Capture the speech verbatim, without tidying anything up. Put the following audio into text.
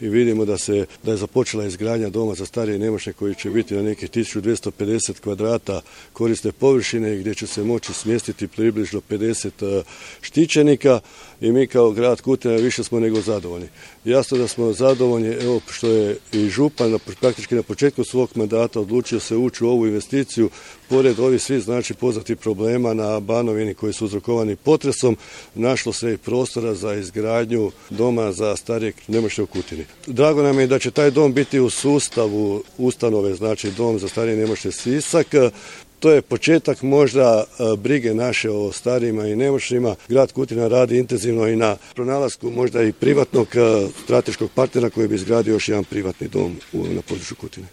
I vidimo da se da je započela izgradnja doma za starije i nemoćne koji će biti na nekih tisuću dvjesto pedeset kvadrata korisne površine gdje će se moći smjestiti približno pedeset štićenika i mi kao grad Kutina više smo nego zadovoljni. Jasno da smo zadovoljni, evo što je i župan praktički na početku svog mandata odlučio se ući u ovu investiciju, pored ovih svih znači poznatih problema na Banovini koji su uzrokovani potresom, našlo se i prostora za izgradnju doma za starije i nemoćne u Kutini. Drago nam je da će taj dom biti u sustavu ustanove, znači dom za starije i nemoćne Sisak. To je početak možda brige naše o starijima i nemoćnima. Grad Kutina radi intenzivno i na pronalasku možda i privatnog strateškog partnera koji bi izgradio još jedan privatni dom na području Kutine.